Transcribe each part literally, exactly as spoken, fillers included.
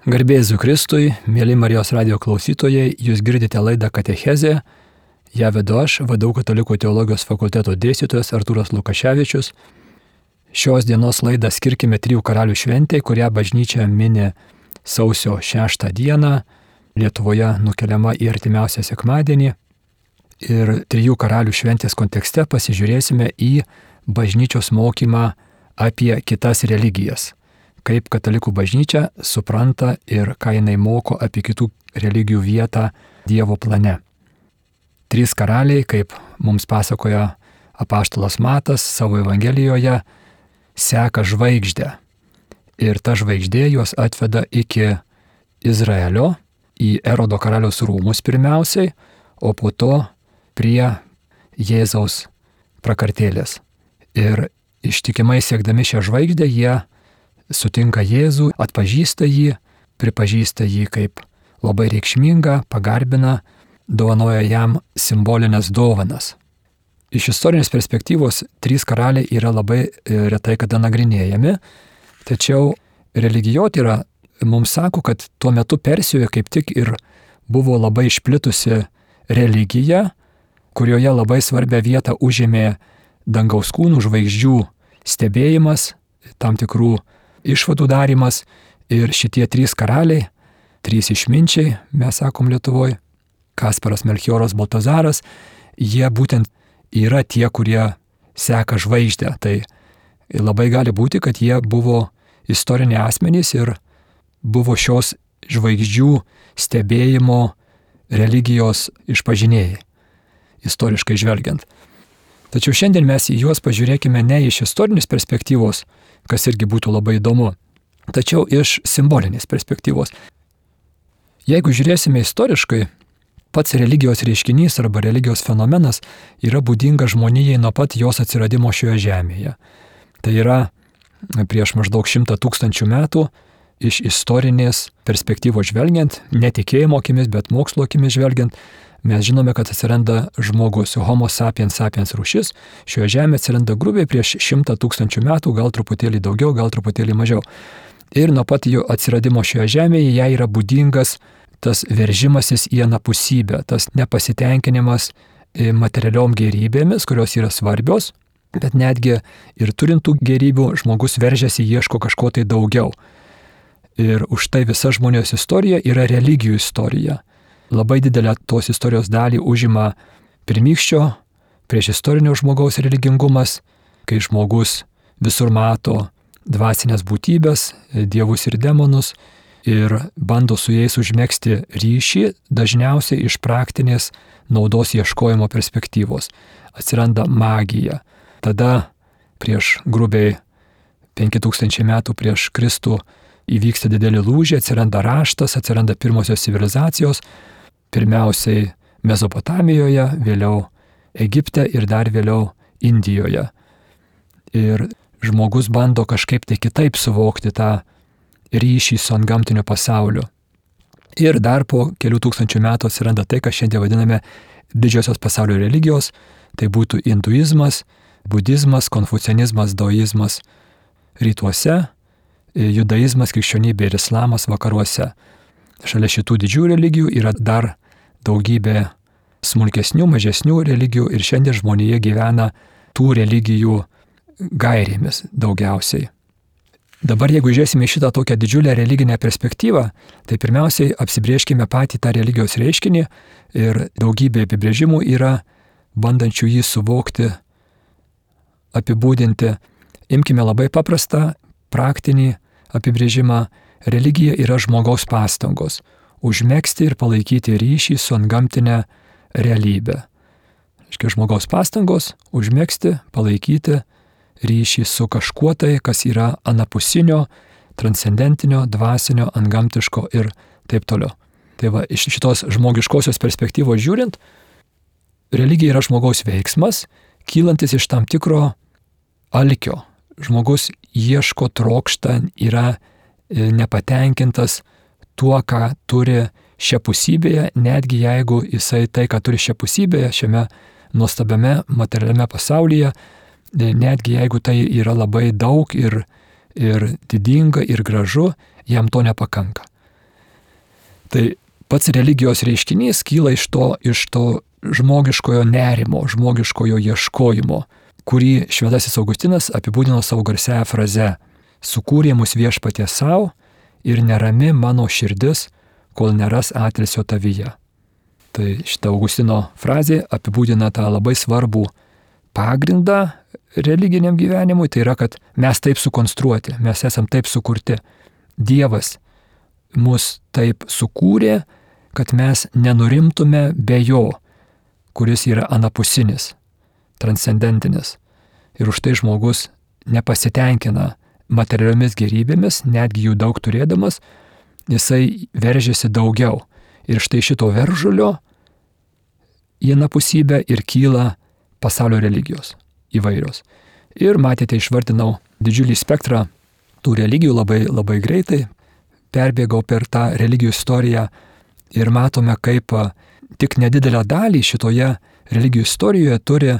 Garbė Jėzui Kristui, mėly Marijos radijo klausytojai, jūs girdite laidą Katechezė. Ją vedu aš, V D U Katalikų teologijos fakulteto dėstytojas Artūras Lukaševičius. Šios dienos laidą skirkime Trijų karalių šventei, kurią bažnyčia mini sausio šeštą dieną, Lietuvoje nukeliama į artimiausią sekmadienį. Ir Trijų karalių šventės kontekste pasižiūrėsime į bažnyčios mokymą apie kitas religijas. Kaip katalikų bažnyčia supranta ir ką jinai moko apie kitų religijų vietą Dievo plane. Trys karaliai, kaip mums pasakoja apaštalas Matas savo Evangelijoje, seka žvaigždę. Ir ta žvaigždė juos atveda iki Izraelio, į Erodo karaliaus rūmus pirmiausiai, o po to prie Jėzaus prakartėlės. Ir ištikimai siekdami šią žvaigždę jie sutinka Jėzų, atpažįsta jį, pripažįsta jį kaip labai reikšmingą, pagarbina, dovanoja jam simbolinės dovanas. Iš istorinės perspektyvos trys karaliai yra labai retai kada nagrinėjami, tačiau religijotyra mums sako, kad tuo metu Persijoje kaip tik ir buvo labai išplitusi religija, kurioje labai svarbią vietą užėmė dangaus kūnų žvaigždžių stebėjimas, tam tikrų išvadų darimas, ir šitie trys karaliai, trys išminčiai, mes sakom Lietuvoje, Kasparas, Melchioras, Baltazaras, jie būtent yra tie, kurie seka žvaigždę. Tai labai gali būti, kad jie buvo istoriniai asmenys ir buvo šios žvaigždžių stebėjimo religijos išpažinėjai, istoriškai žvelgiant. Tačiau šiandien mes į juos pažiūrėkime ne iš istorinės perspektyvos, kas irgi būtų labai įdomu, tačiau iš simbolinės perspektyvos. Jeigu žiūrėsime istoriškai, pats religijos reiškinys arba religijos fenomenas yra būdinga žmonijai nuo pat jos atsiradimo šioje žemėje. Tai yra prieš maždaug šimtą tūkstančių metų iš istorinės perspektyvos žvelgiant, ne tikėjimo akimis, bet mokslo akimis žvelgiant, mes žinome, kad atsiranda žmogus, Homo sapiens sapiens rūšis, šioje žemėje atsiranda grubiai prieš šimtą tūkstančių metų, gal truputėlį daugiau, gal truputėlį mažiau. Ir nuo pat jo atsiradimo šioje žemėje jai yra būdingas tas veržimasis į anapusybę, tas nepasitenkinimas materialiom gerybėmis, kurios yra svarbios, bet netgi ir turintų gerybių žmogus veržiasi, ieško kažko tai daugiau. Ir už tai visa žmonijos istorija yra religijų istorija. Labai didelę tos istorijos dalį užima pirmykščio, prieš istorinio žmogaus religingumas, kai žmogus visur mato dvasinės būtybės, dievus ir demonus ir bando su jais užmegzti ryšį, dažniausiai iš praktinės naudos ieškojimo perspektyvos. Atsiranda magija. Tada prieš grubiai penki tūkstančiai metų prieš Kristų įvyksta didelį lūžį, atsiranda raštas, atsiranda pirmosios civilizacijos, pirmiausiai Mesopotamijoje, vėliau Egipte ir dar vėliau Indijoje. Ir žmogus bando kažkaip tai kitaip suvokti tą ryšį su antgamtiniu pasauliu. Ir dar po kelių tūkstančių metų atsiranda tai, ką šiandien vadiname didžiosios pasaulio religijos, tai būtų hinduizmas, budizmas, konfucianizmas, daoizmas rytuose, judaizmas, krikščionybė ir islamas vakaruose. Šalia šitų didžiųjų religijų yra dar daugybė smulkesnių, mažesnių religijų ir šiandien žmonija gyvena tų religijų gairėmis daugiausiai. Dabar jeigu žiūrėsime į šitą tokią didžiulę religinę perspektyvą, tai pirmiausiai apsibrėžkime patį tą religijos reiškinį ir daugybė apibrėžimų yra bandančių jį suvokti, apibūdinti. Imkime labai paprastą, praktinį apibrėžimą. Religija yra žmogaus pastangos užmegzti ir palaikyti ryšį su antgamtinė realybė. Reiškia, žmogaus pastangos užmegzti, palaikyti ryšį su kažkuo tai, kas yra anapusinio, transcendentinio, dvasinio, antgamtiško ir taip toliau. Tai va, iš šitos žmogiškosios perspektyvos žiūrint, religija yra žmogaus veiksmas, kylantis iš tam tikro alkio. Žmogus ieško, trokšta, yra nepatenkintas tuo, ką turi šiapusybėje, netgi jeigu jisai tai, ką turi šiapusybėje, šiame nuostabiame materialiame pasaulyje, netgi jeigu tai yra labai daug ir, ir didinga ir gražu, jam to nepakanka. Tai pats religijos reiškinys kyla iš to, iš to žmogiškojo nerimo, žmogiškojo ieškojimo, kurį šventasis Augustinas apibūdino savo garsiąją frazę: sukūrė mus viešpatie savo ir nerami mano širdis, kol neras atilsio tavyje. Tai šita Augustino frazė apibūdina tą labai svarbų pagrindą religiniam gyvenimui, tai yra, kad mes taip sukonstruoti, mes esam taip sukurti. Dievas mus taip sukūrė, kad mes nenurimtume be jo, kuris yra anapusinis, transcendentinis. Ir už tai žmogus nepasitenkina materialiomis gerybėmis, netgi jų daug turėdamas, jisai veržiasi daugiau. Ir štai šito veržulio į anapusybę ir kyla pasaulio religijos įvairios. Ir matėte, išvardinau didžiulį spektrą tų religijų, labai, labai greitai perbėgau per tą religijų istoriją ir matome, kaip tik nedidelę dalį šitoje religijų istorijoje turi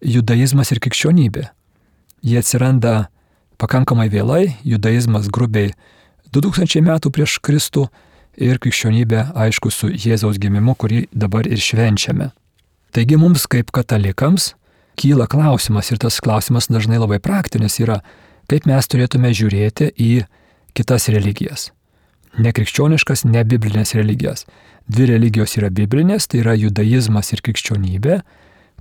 judaizmas ir krikščionybė. Jie atsiranda pakankamai vėlai, judaizmas grubiai du tūkstančiai metų prieš Kristų ir krikščionybė, aišku, su Jėzaus gimimu, kurį dabar ir švenčiame. Taigi mums kaip katalikams kyla klausimas, ir tas klausimas dažnai labai praktinis yra, kaip mes turėtume žiūrėti į kitas religijas. Nekrikščioniškas, nebiblinės religijas. Dvi religijos yra biblinės, tai yra judaizmas ir krikščionybė.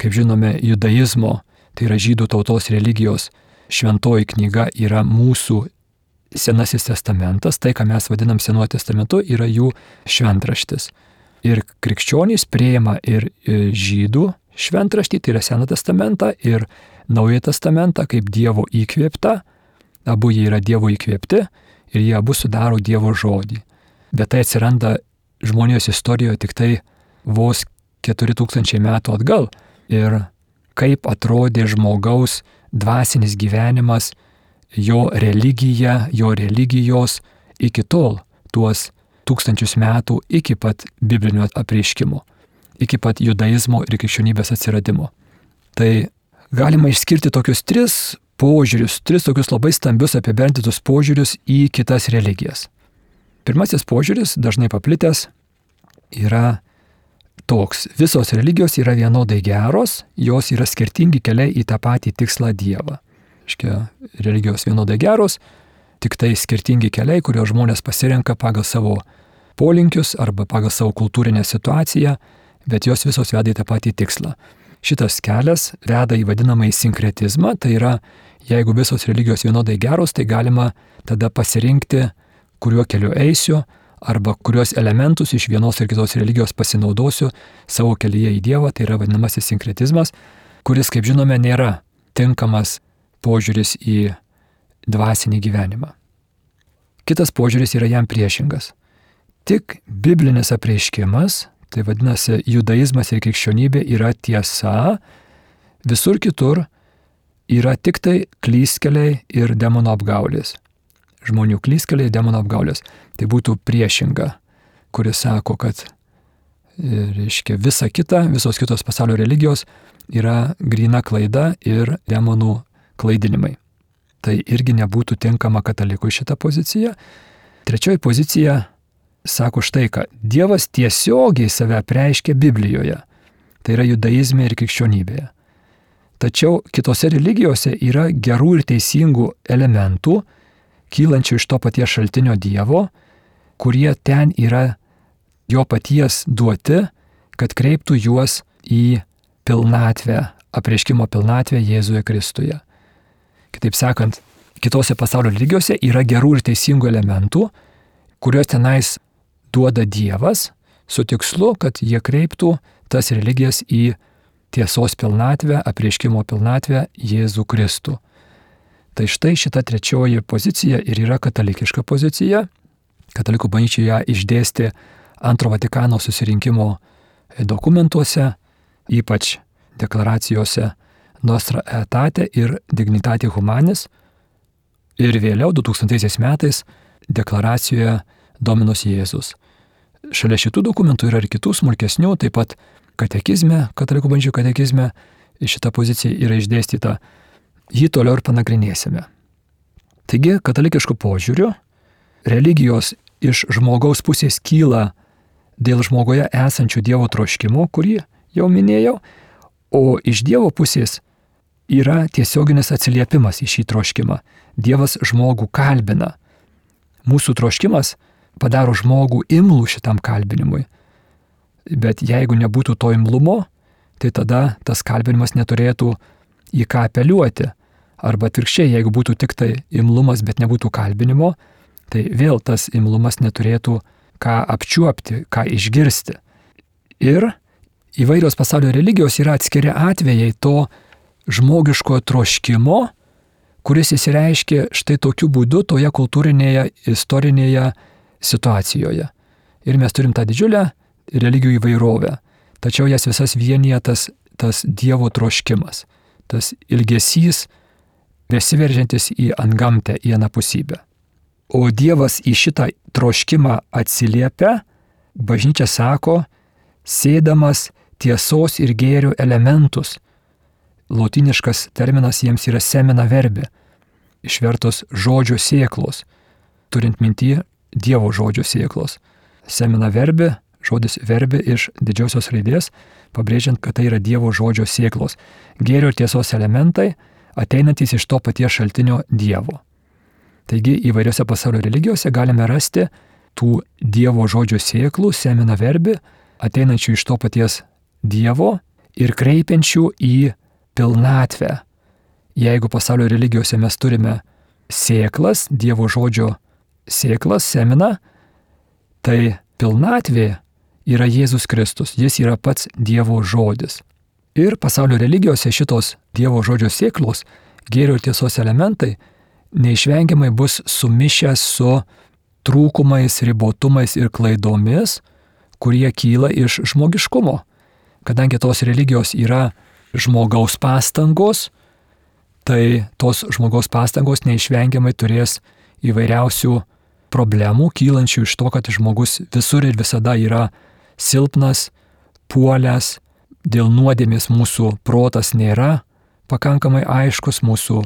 Kaip žinome, judaizmo, tai yra žydų tautos religijos šventoji knyga, yra mūsų Senasis testamentas, tai ką mes vadinam Senuoju testamentu, yra jų šventraštis. Ir krikščionys priima ir žydų šventraštį, tai yra Seną testamentą, ir Naują testamentą kaip Dievo įkvėptą. Abu jie yra Dievo įkvėpti ir jie abu sudaro Dievo žodį. Bet tai atsiranda žmonijos istorijoje tik tai vos keturi tūkstančiai metų atgal. Ir kaip atrodė žmogaus dvasinis gyvenimas, jo religija, jo religijos iki tol, tuos tūkstančius metų iki pat biblinio apreiškimo, iki pat judaizmo ir krikščionybės atsiradimo. Tai galima išskirti tokius tris požiūrius, tris tokius labai stambius apibendrintus požiūrius į kitas religijas. Pirmasis požiūris, dažnai paplitęs, yra toks: visos religijos yra vienodai geros, jos yra skirtingi keliai į tą patį tikslą Dievą. Iškia, religijos vienodai geros, tik tai skirtingi keliai, kuriuos žmonės pasirenka pagal savo polinkius arba pagal savo kultūrinę situaciją, bet jos visos veda į tą patį tikslą. Šitas kelias veda į vadinamąjį sinkretizmą, tai yra, jeigu visos religijos vienodai geros, tai galima tada pasirinkti, kuriuo keliu eisiu, arba kuriuos elementus iš vienos ir kitos religijos pasinaudosiu savo kelyje į Dievą, tai yra vadinamasis sinkretizmas, kuris, kaip žinome, nėra tinkamas požiūris į dvasinį gyvenimą. Kitas požiūris yra jam priešingas. Tik biblinis apreiškimas, tai vadinasi judaizmas ir krikščionybė, yra tiesa, visur kitur yra tik tai klystkeliai ir demono apgaulės. Žmonių klystkeliai ir demono apgaulės. Tai būtų priešinga, kuris sako, kad reiškia, visa kita, visos kitos pasaulio religijos yra gryna klaida ir demonų klaidinimai. Tai irgi nebūtų tinkama katalikui šitą poziciją. Trečioji pozicija sako štai ką: Dievas tiesiogiai save apreiškia Biblijoje, tai yra judaizme ir krikščionybėje. Tačiau kitose religijose yra gerų ir teisingų elementų, kylančių iš to paties šaltinio Dievo, kurie ten yra jo paties duoti, kad kreiptų juos į pilnatvę, apreiškimo pilnatvę Jėzuje Kristuje. Kitaip sakant, kitose pasaulio religijose yra gerų ir teisingų elementų, kuriuos tenais duoda Dievas, su tikslu, kad jie kreiptų tas religijas į tiesos pilnatvę, apreiškimo pilnatvę Jėzų Kristų. Tai štai šita trečioji pozicija ir yra katalikiška pozicija. Katalikų bažnyčia ją išdėstė Antro Vatikano susirinkimo dokumentuose, ypač deklaracijose Nostra Aetate ir Dignitatis Humanis, ir vėliau du tūkstantaisiais metais deklaracijoje Dominus Jėzus. Šalia šitų dokumentų yra ir kitų smulkesnių, taip pat katekizme, katalikų bažnyčios katekizme šita pozicija yra išdėstyta. Jį toliau ir panagrinėsime. Taigi, katalikiškų požiūrių religijos iš žmogaus pusės kyla dėl žmogoje esančių Dievo troškimo, kurį jau minėjau, o iš Dievo pusės yra tiesioginis atsiliepimas į šį troškimą. Dievas žmogų kalbina. Mūsų troškimas padaro žmogų imlų šitam kalbinimui. Bet jeigu nebūtų to imlumo, tai tada tas kalbinimas neturėtų į ką apeliuoti. Arba atvirkščiai, jeigu būtų tik tai imlumas, bet nebūtų kalbinimo, tai vėl tas imlumas neturėtų ką apčiuopti, ką išgirsti. Ir įvairios pasaulio religijos yra atskiri atvejai to žmogiškojo troškimo, kuris įsireiškia štai tokiu būdu toje kultūrinėje, istorinėje situacijoje. Ir mes turim tą didžiulę religijų įvairovę. Tačiau jas visas vienyje tas, tas Dievo troškimas, tas ilgesys, besiveržiantis į antgamtę, į anapusybę. O Dievas į šitą troškimą atsiliepia, bažnyčia sako, sėdamas tiesos ir gėrio elementus. Lotyniškas terminas jiems yra semina verbi, išvertus žodžio sėklos, turint minty Dievo žodžio sėklos. Semina verbi, žodis verbi iš didžiosios raidės, pabrėžiant, kad tai yra Dievo žodžio sėklos. Gėrio ir tiesos elementai ateinantys iš to paties šaltinio Dievo. Taigi įvairiose pasaulio religijose galime rasti tų Dievo žodžio sėklų, semina verbi, ateinančių iš to paties Dievo ir kreipiančių į pilnatvę. Jeigu pasaulio religijose mes turime sėklas, Dievo žodžio sėklas, semina, tai pilnatvė yra Jėzus Kristus, jis yra pats Dievo žodis. Ir pasaulio religijose šitos Dievo žodžio sėklos, gėrio ir tiesos elementai neišvengiamai bus sumišę su trūkumais, ribotumais ir klaidomis, kurie kyla iš žmogiškumo. Kadangi tos religijos yra žmogaus pastangos, tai tos žmogaus pastangos neišvengiamai turės įvairiausių problemų, kylančių iš to, kad žmogus visur ir visada yra silpnas, puolęs, dėl nuodėmės mūsų protas nėra pakankamai aiškus, mūsų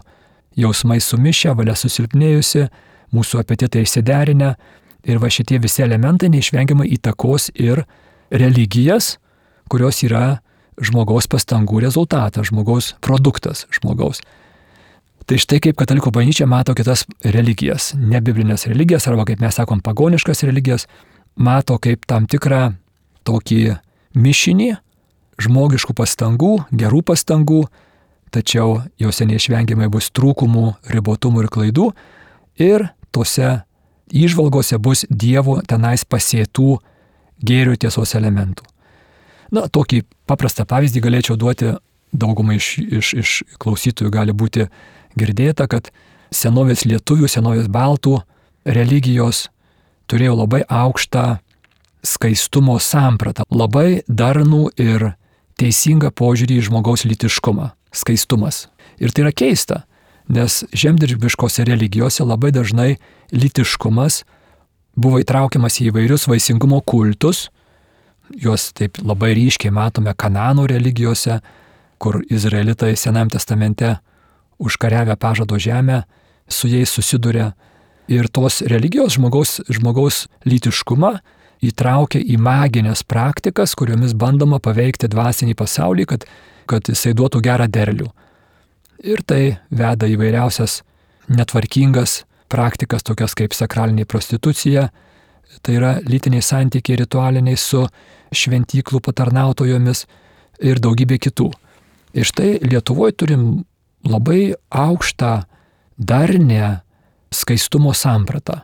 jausmai sumišę, valia susilpnėjusi, mūsų apetitai išsiderinę ir va šitie visi elementai neišvengiamai įtakos ir religijas, kurios yra žmogaus pastangų rezultatas, žmogaus produktas žmogaus. Tai štai kaip katalikų bažnyčia mato kitas religijas, nebiblinės religijas arba kaip mes sakom pagoniškas religijas, mato kaip tam tikrą tokį mišinį žmogiškų pastangų, gerų pastangų, tačiau jose neišvengiamai bus trūkumų, ribotumų ir klaidų ir tose įžvalgose bus Dievo tenais pasėtų gėrio tiesos elementų. Na, tokį paprastą pavyzdį galėčiau duoti, daugumai iš, iš, iš klausytojų gali būti girdėta, kad senovės lietuvių, senovės baltų religijos turėjo labai aukštą skaistumo sampratą, labai darnų ir teisingą požiūrį į žmogaus lytiškumą, skaistumas. Ir tai yra keista, nes žemdirbiškose religijose labai dažnai lytiškumas buvo įtraukiamas į įvairius vaisingumo kultus, juos taip labai ryškiai matome Kanano religijose, kur izraelitai Senajame testamente užkariavę pažado žemę, su jais susiduria. Ir tos religijos žmogaus, žmogaus lytiškumą įtraukia į maginės praktikas, kuriomis bandoma paveikti dvasinį pasaulį, kad, kad jisai duotų gerą derlių. Ir tai veda įvairiausias netvarkingas praktikas, tokias kaip sakralinė prostitucija, tai yra lytiniai santykiai ritualiniai su šventyklų patarnautojomis ir daugybė kitų. Ir štai Lietuvoje turim labai aukštą darnę skaistumo sampratą.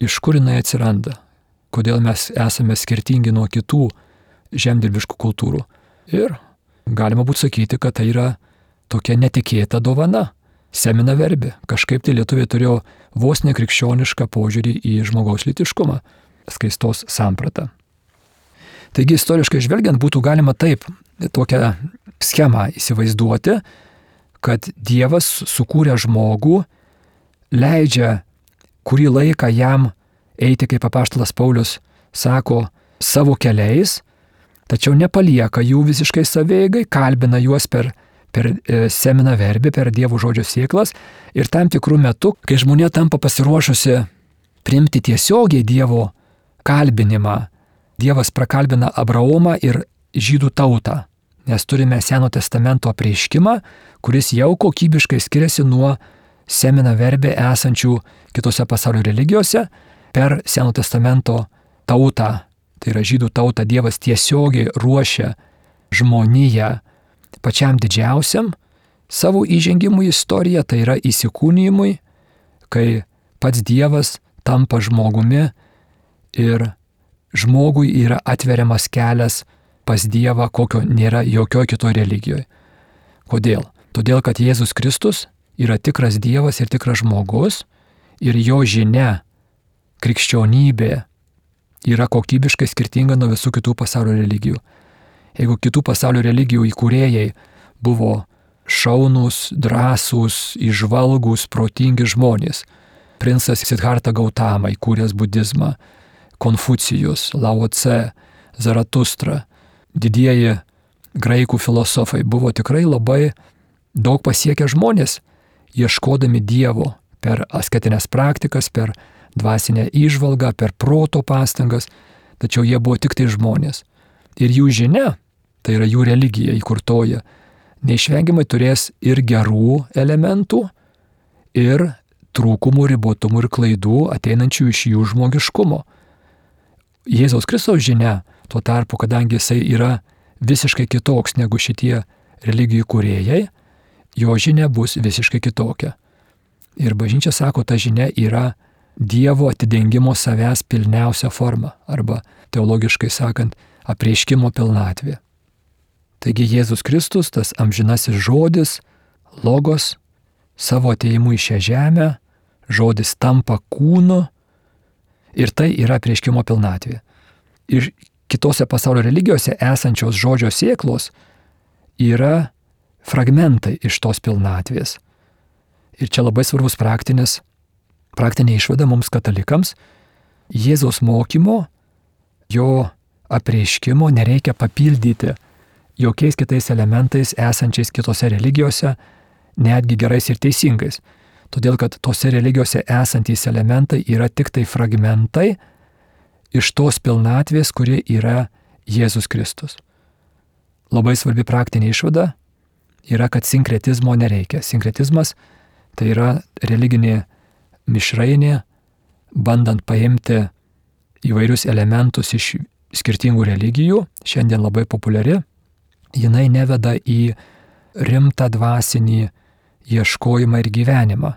Iš kur jinai atsiranda? Kodėl mes esame skirtingi nuo kitų žemdirbiškų kultūrų? Ir galima būtų sakyti, kad tai yra tokia netikėta dovana, semina verbi. Kažkaip tai lietuviai turėjo vos nekrikščionišką požiūrį į žmogaus lytiškumą, skaistos sampratą. Taigi istoriškai žvelgiant būtų galima taip tokią schemą įsivaizduoti, kad Dievas sukūrė žmogų, leidžia kurį laiką jam eiti, kaip apaštalas Paulius sako, savo keliais, tačiau nepalieka jų visiškai savieigai, kalbina juos per, per semina verbį, per Dievo žodžio sėklas ir tam tikrų metų, kai žmonė tampa pasiruošusi priimti tiesiogiai Dievo kalbinimą, Dievas prakalbina Abraomą ir žydų tautą, nes turime Seno testamento apreiškimą, kuris jau kokybiškai skiriasi nuo semina verbė esančių kitose pasaulio religijose. Per Seno testamento tautą, tai yra žydų tautą, Dievas tiesiogiai ruošia žmoniją pačiam didžiausiam savo įžengimui į istoriją, tai yra įsikūnijimui, kai pats Dievas tampa žmogumi ir žmogui yra atveriamas kelias pas Dievą, kokio nėra jokioje kitoje religijoje. Kodėl? Todėl, kad Jėzus Kristus yra tikras Dievas ir tikras žmogus ir jo žinia, krikščionybė yra kokybiškai skirtinga nuo visų kitų pasaulio religijų. Jeigu kitų pasaulio religijų įkūrėjai buvo šaunūs, drąsūs, įžvalgūs, protingi žmonės, princas Sidharta Gautama įkūręs budizmą, Konfucijus, Lao Tse, Zaratustra, didieji graikų filosofai buvo tikrai labai daug pasiekę žmonės, ieškodami Dievo per asketinės praktikas, per dvasinę įžvalgą, per proto pastangas, tačiau jie buvo tik tai žmonės. Ir jų žinia, tai yra jų religija įkurtoja, neišvengiamai turės ir gerų elementų, ir trūkumų, ribotumų ir klaidų ateinančių iš jų žmogiškumo. Jėzaus Kristaus žinia, tuo tarpu, kadangi jisai yra visiškai kitoks negu šitie religijų kūrėjai, jo žinia bus visiškai kitokia. Ir bažnyčia sako, ta žinia yra Dievo atidengimo savęs pilniausia forma, arba teologiškai sakant, apreiškimo pilnatvė. Taigi Jėzus Kristus, tas amžinasis žodis, logos, savo atėjimu į šią žemę, žodis tampa kūnu ir tai yra apreiškimo pilnatvė. Ir kitose pasaulio religijose esančios žodžio sėklos yra fragmentai iš tos pilnatvės. Ir čia labai svarbus praktinis, praktinė išvada mums katalikams. Jėzaus mokymo, jo apreiškimo nereikia papildyti jokiais kitais elementais esančiais kitose religijose, netgi gerais ir teisingais. Todėl, kad tose religijose esantys elementai yra tik tai fragmentai iš tos pilnatvės, kuri yra Jėzus Kristus. Labai svarbi praktinė išvada yra, kad sinkretizmo nereikia. Sinkretizmas tai yra religinė mišrainė, bandant paimti įvairius elementus iš skirtingų religijų, šiandien labai populiari, jinai neveda į rimtą dvasinį ieškojimą ir gyvenimą.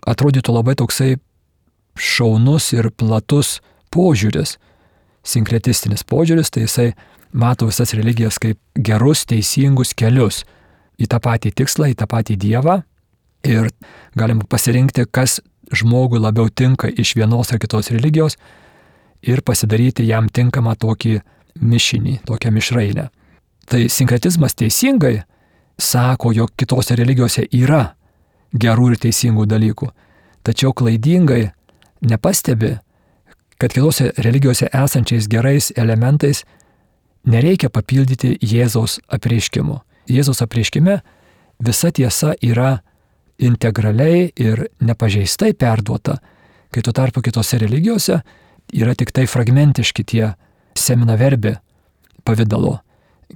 Atrodytų labai toksai šaunus ir platus požiūris, sinkretistinis požiūris, tai jisai mato visas religijas kaip gerus, teisingus kelius į tą patį tikslą, į tą patį Dievą ir galima pasirinkti, kas žmogui labiau tinka iš vienos ar kitos religijos ir pasidaryti jam tinkamą tokį mišinį, tokią mišrainę. Tai sinkretizmas teisingai sako, jog kitose religijose yra gerų ir teisingų dalykų, tačiau klaidingai nepastebi, kad kitose religijose esančiais gerais elementais nereikia papildyti Jėzaus apreiškimo. Jėzaus apreiškime visa tiesa yra integraliai ir nepažeistai perduota, kai tuo tarpu kitose religijose yra tik tai fragmentiški tie semina verbė pavidalo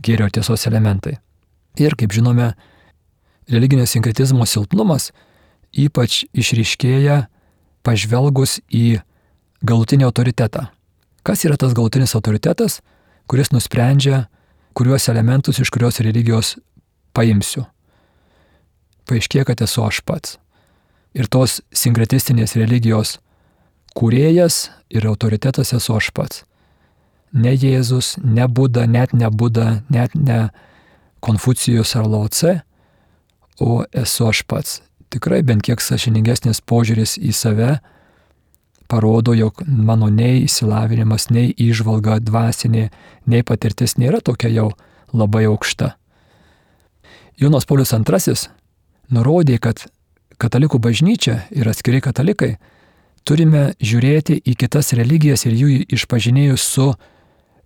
gėrio tiesos elementai. Ir, kaip žinome, religinio sinkretizmo silpnumas ypač išryškėja pažvelgus į galutinį autoritetą. Kas yra tas galutinis autoritetas, kuris nusprendžia, kuriuos elementus iš kurios religijos paimsiu? Paaiškėja, kad esu aš pats. Ir tos sinkretistinės religijos kūrėjas ir autoritetas esu aš pats. Ne Jėzus, ne Buda, net ne Buda, net ne Konfucijus ar Lao Tse, o esu aš pats. Tikrai bent kiek sąžiningesnis požiūris į save parodo, jog mano nei išsilavinimas, nei įžvalga dvasinė, nei patirtis nėra tokia jau labai aukšta. Jonas Paulius antrasis nurodė, kad katalikų bažnyčia ir atskiri katalikai turime žiūrėti į kitas religijas ir jų išpažinėjus su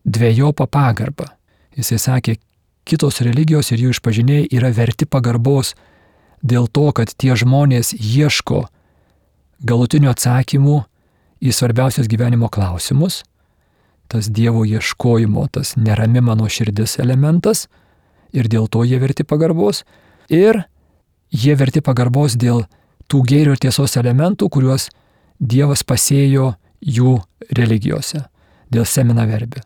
dvejopa pagarba. Jisai sakė, kitos religijos ir jų išpažinėjai yra verti pagarbos dėl to, kad tie žmonės ieško galutinių atsakymų į svarbiausius gyvenimo klausimus. tas Dievo ieškojimo, tas nerami mano širdis elementas ir dėl to jie verti pagarbos. Ir jie verti pagarbos dėl tų gėrio ir tiesos elementų, kuriuos Dievas pasėjo jų religijose, dėl semina verbi.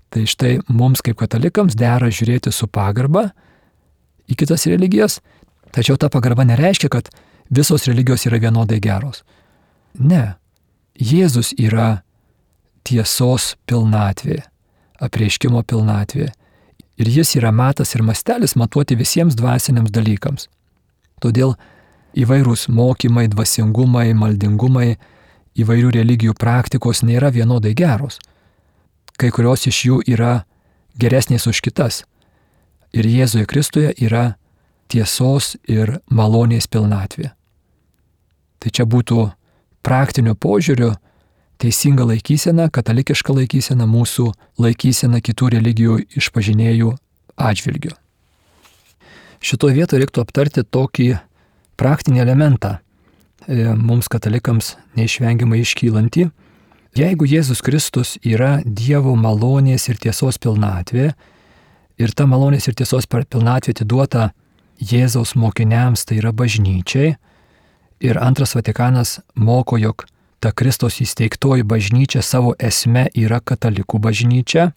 Tai štai mums kaip katalikams dera žiūrėti su pagarba į kitas religijas, tačiau ta pagarba nereiškia, kad visos religijos yra vienodai geros. Ne. Jėzus yra tiesos pilnatvė, apreiškimo pilnatvė. Ir jis yra matas ir mastelis matuoti visiems dvasiniams dalykams. Todėl įvairūs mokymai, dvasingumai, maldingumai, įvairių religijų praktikos nėra vienodai geros. Kai kurios iš jų yra geresnės už kitas. Ir Jėzuje Kristuje yra tiesos ir malonės pilnatvė. Tai čia būtų praktinio požiūrio teisinga laikysena, katalikiška laikysena, mūsų laikysena kitų religijų išpažinėjų atžvilgiu. Šitoje vietoje reiktų aptarti tokį praktinį elementą, mums katalikams neišvengiamai iškylantį. Jeigu Jėzus Kristus yra Dievo malonės ir tiesos pilnatvė, ir ta malonės ir tiesos pilnatvė atiduota Jėzaus mokiniams, tai yra bažnyčiai, ir antras Vatikanas moko, jog ta Kristaus įsteigtoji bažnyčia savo esme yra katalikų bažnyčia,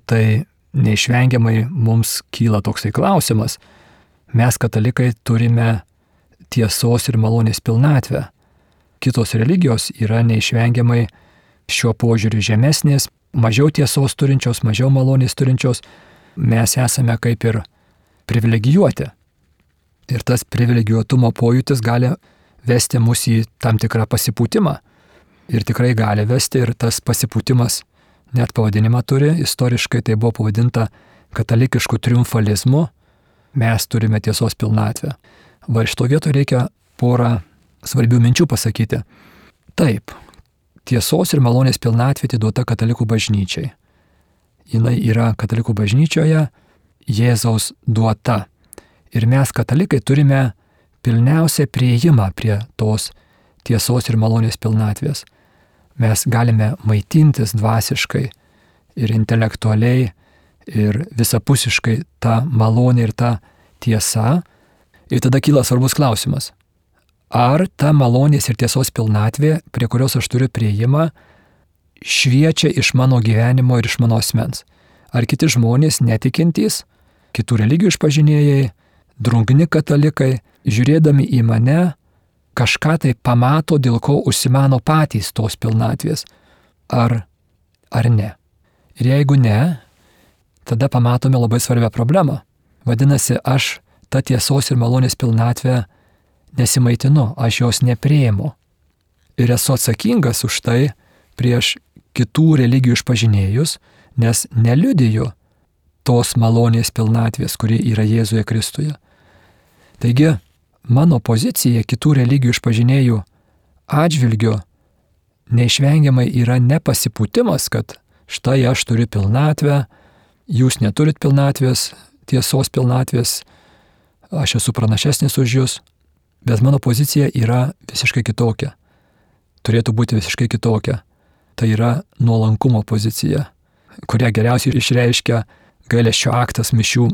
tai neišvengiamai mums kyla toksai klausimas. Mes katalikai turime tiesos ir malonės pilnatvę. Kitos religijos yra neišvengiamai šiuo požiūriu žemesnės, mažiau tiesos turinčios, mažiau malonės turinčios. Mes esame kaip ir privilegijuoti. Ir tas privilegijuotumo pojūtis gali vesti mus į tam tikrą pasipūtimą. Ir tikrai gali vesti, ir tas pasipūtimas net pavadinimą turi. Istoriškai tai buvo pavadinta katalikišku triumfalizmu. Mes turime tiesos pilnatvę. Va iš to vieto reikia porą svarbių minčių pasakyti. Taip, tiesos ir malonės pilnatvė atiduota katalikų bažnyčiai. Jinai yra katalikų bažnyčioje Jėzaus duota. Ir mes katalikai turime pilniausią prieimą prie tos tiesos ir malonės pilnatvės. Mes galime maitintis dvasiškai ir intelektualiai ir visapusiškai tą malonę ir tą tiesą. Ir tada kyla svarbus klausimas. Ar ta malonės ir tiesos pilnatvė, prie kurios aš turiu prieimą, šviečia iš mano gyvenimo ir iš mano asmens? Ar kiti žmonės netikintys, kitų religijų išpažinėjai, drungni katalikai, žiūrėdami į mane, kažką tai pamato, dėl ko užsimano patys tos pilnatvės? Ar, ar ne? Ir jeigu ne, tada pamatome labai svarbią problemą. Vadinasi, aš tą tiesos ir malonės pilnatvę nesimaitinu, aš jos nepriimu. Ir esu atsakingas už tai prieš kitų religijų išpažinėjus, nes neliudiju tos malonės pilnatvės, kuri yra Jėzuje Kristuje. Taigi, mano pozicija kitų religijų išpažinėjų atžvilgiu neišvengiamai yra nepasipūtimas, kad štai aš turiu pilnatvę, jūs neturit pilnatvės, tiesos pilnatvės, aš esu pranašesnis už jūs, bet mano pozicija yra visiškai kitokia. Turėtų būti visiškai kitokia. Tai yra nuolankumo pozicija, kurią geriausiai išreiškia gailesčio aktas mišių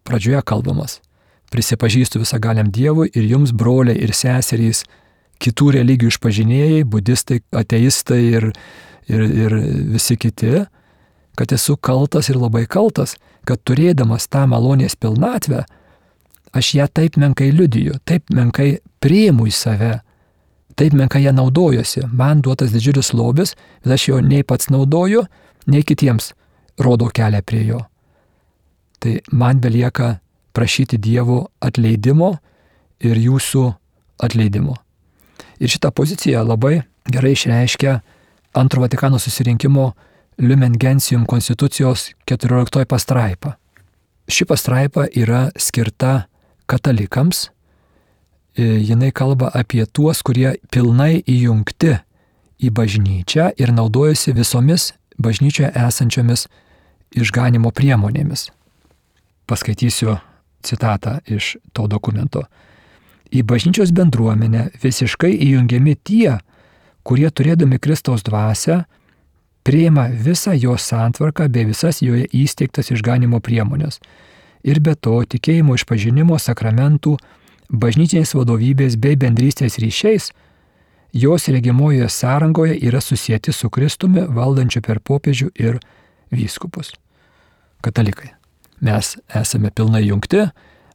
pradžioje kalbamas. Prisipažįstu visagaliam Dievui ir jums, broliai ir seserys, kitų religijų išpažinėjai, budistai, ateistai ir, ir, ir visi kiti, kad esu kaltas ir labai kaltas, kad turėdamas tą malonės pilnatvę, aš ją taip menkai liudiju, taip menkai priimu į save, taip menkai ją naudojuosi. Man duotas didžiulis lobis, bet aš jo nei pats naudoju, nei kitiems rodo kelią prie jo. Tai man belieka prašyti Dievo atleidimo ir jūsų atleidimo. Ir šitą poziciją labai gerai išreiškia Antro Vatikano susirinkimo Lumen Gentium konstitucijos keturioliktoji pastraipa. Ši pastraipa yra skirta katalikams. Jinai kalba apie tuos, kurie pilnai įjungti į bažnyčią ir naudojasi visomis bažnyčioje esančiomis išganimo priemonėmis. Paskaitysiu citatą iš to dokumento. Į bažnyčios bendruomenę visiškai įjungiami tie, kurie turėdami Kristaus dvasią priima visą jo santvarką bei visas joje įsteigtas išganimo priemonės. Ir be to tikėjimo išpažinimo sakramentų, bažnytinės vadovybės bei bendrystės ryšiais, jos regimojoje sąrangoje yra susieti su Kristumi valdančiu per popiežių ir vyskupus. Katalikai. Mes esame pilnai jungti,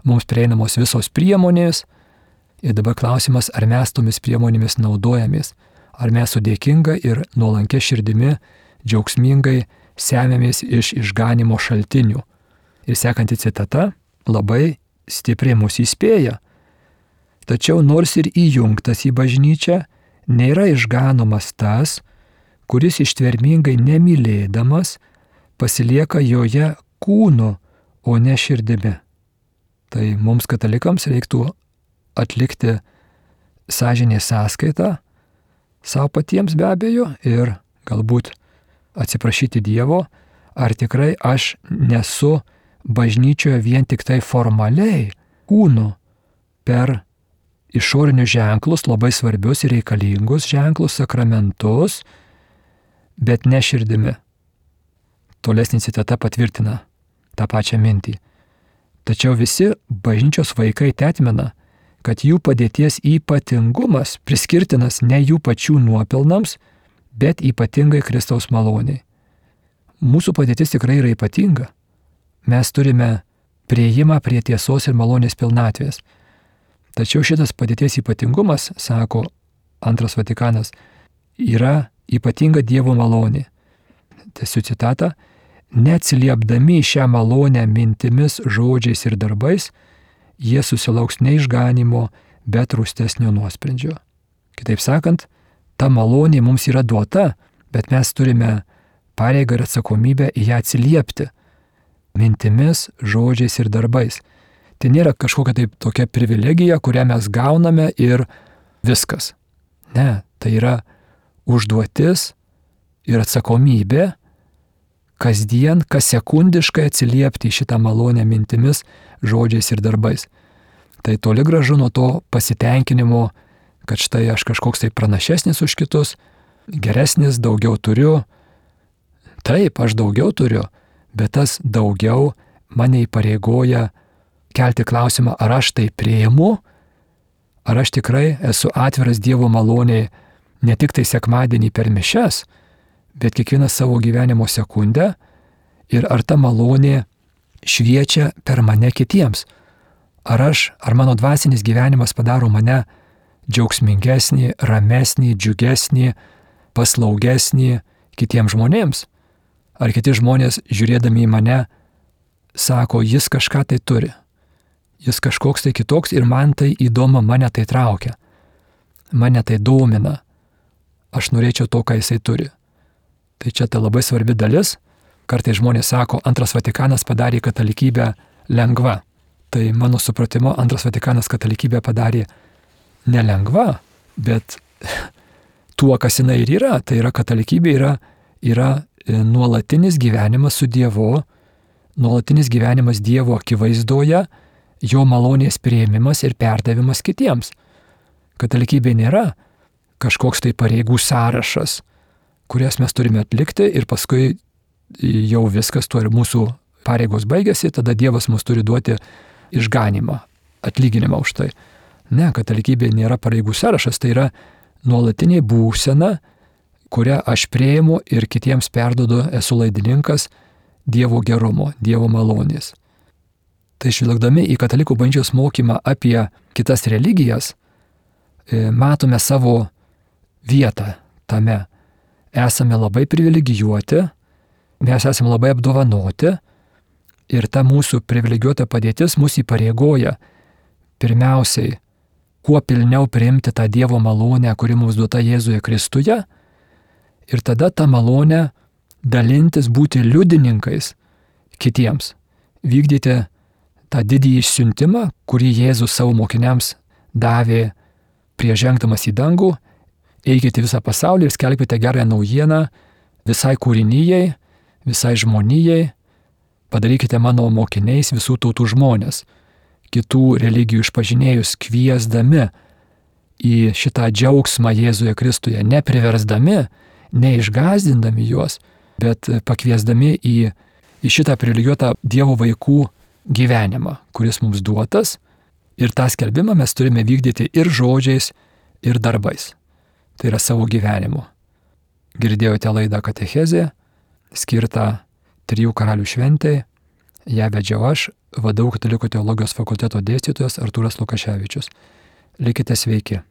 mums prieinamos visos priemonės ir dabar klausimas, ar mes tomis priemonėmis naudojamės, ar mes su dėkinga ir nuolankia širdimi džiaugsmingai semiamės iš išganimo šaltinių. Ir sekanti citata labai stipriai mus įspėja. Tačiau nors ir įjungtas į bažnyčią, nėra išganomas tas, kuris ištvermingai nemylėdamas pasilieka joje kūnu, o ne širdimi. Tai mums katalikams reiktų atlikti sąžinės sąskaitą savo patiems be abejo ir galbūt atsiprašyti Dievo, ar tikrai aš nesu bažnyčioje vien tik tai formaliai kūnu per išorinius ženklus, labai svarbius ir reikalingus ženklus, sakramentus, bet ne širdimi. Tolesnė citata patvirtina tą pačią mintį. Tačiau visi bažnyčios vaikai tetmina, kad jų padėties ypatingumas priskirtinas ne jų pačių nuopelnams, bet ypatingai Kristaus maloniai. Mūsų padėtis tikrai yra ypatinga. Mes turime priėjimą prie tiesos ir malonės pilnatvės. Tačiau šitas padėties ypatingumas, sako Antras Vatikanas, yra ypatinga Dievo malonė. Tęsiu citatą. Neatsiliepdami šią malonę mintimis, žodžiais ir darbais, jie susilauks ne išganimo, bet rūstesnio nuosprendžio. Kitaip sakant, ta malonė mums yra duota, bet mes turime pareigą ir atsakomybę į ją atsiliepti mintimis, žodžiais ir darbais. Tai nėra kažkokia taip tokia privilegija, kurią mes gauname ir viskas. Ne, tai yra užduotis ir atsakomybė kasdien, kas sekundiškai atsiliepti į šitą malonę mintimis, žodžiais ir darbais. Tai toli gražu nuo to pasitenkinimo, kad štai aš kažkoks tai pranašesnis už kitus, geresnis, daugiau turiu. Taip, aš daugiau turiu, bet tas daugiau mane įpareigoja kelti klausimą, ar aš tai priimu, ar aš tikrai esu atviras Dievo maloniai ne tik tai sekmadienį per mišias, bet kiekvieną savo gyvenimo sekundę ir ar ta malonė šviečia per mane kitiems. Ar aš, ar mano dvasinis gyvenimas padaro mane džiaugsmingesnį, ramesnį, džiugesnį, paslaugesnį kitiems žmonėms. Ar kiti žmonės, žiūrėdami į mane, sako, jis kažką tai turi. Jis kažkoks tai kitoks ir man tai įdomu, mane tai traukia. Mane tai domina. Aš norėčiau to, ką jisai turi. Tai čia ta labai svarbi dalis. Kartais žmonės sako, Antras Vatikanas padarė katalikybę lengva. Tai mano supratimo, Antras Vatikanas katalikybę padarė nelengva, bet tuo, kas jinai ir yra. Tai yra katalikybė yra, yra nuolatinis gyvenimas su Dievu, nuolatinis gyvenimas Dievo akivaizdoje, jo malonės priėmimas ir perdavimas kitiems. Katalikybė nėra kažkoks tai pareigų sąrašas, kurias mes turime atlikti ir paskui jau viskas, tuo ir mūsų pareigos baigėsi, tada Dievas mums turi duoti išganimą, atlyginimą už tai. Ne, katalikybė nėra pareigų sąrašas, tai yra nuolatinė būsena, kurią aš priimu ir kitiems perduodu, esu laidininkas Dievo gerumo, Dievo malonės. Tai žvelgdami į katalikų bažnyčios mokymą apie kitas religijas, matome savo vietą tame. Esame labai privilegijuoti, mes esame labai apdovanoti ir ta mūsų privilegijuota padėtis mus įpareigoja pirmiausiai kuo pilniau priimti tą Dievo malonę, kuri mums duota Jėzuje Kristuje ir tada tą malonę dalintis, būti liudininkais kitiems, vykdyti tą didįjį išsiuntimą, kurį Jėzus savo mokiniams davė prieš žengdamas į dangų. Eikite visą pasaulį ir skelbkite gerąją naujieną visai kūrinijai, visai žmonijai, padarykite mano mokiniais visų tautų žmonės, kitų religijų išpažinėjus kviesdami į šitą džiaugsmą Jėzuje Kristuje, nepriversdami, neišgąsdindami juos, bet pakviesdami į, į šitą privilegijuotą Dievo vaikų gyvenimą, kuris mums duotas. Ir tą skelbimą mes turime vykdyti ir žodžiais, ir darbais. Tai yra savo gyvenimu. Girdėjote laidą Katechezė, skirtą Trijų karalių šventei. Ją vedžiau aš, V D U Katalikų teologijos fakulteto dėstytojas Artūras Lukaševičius. Likite sveiki.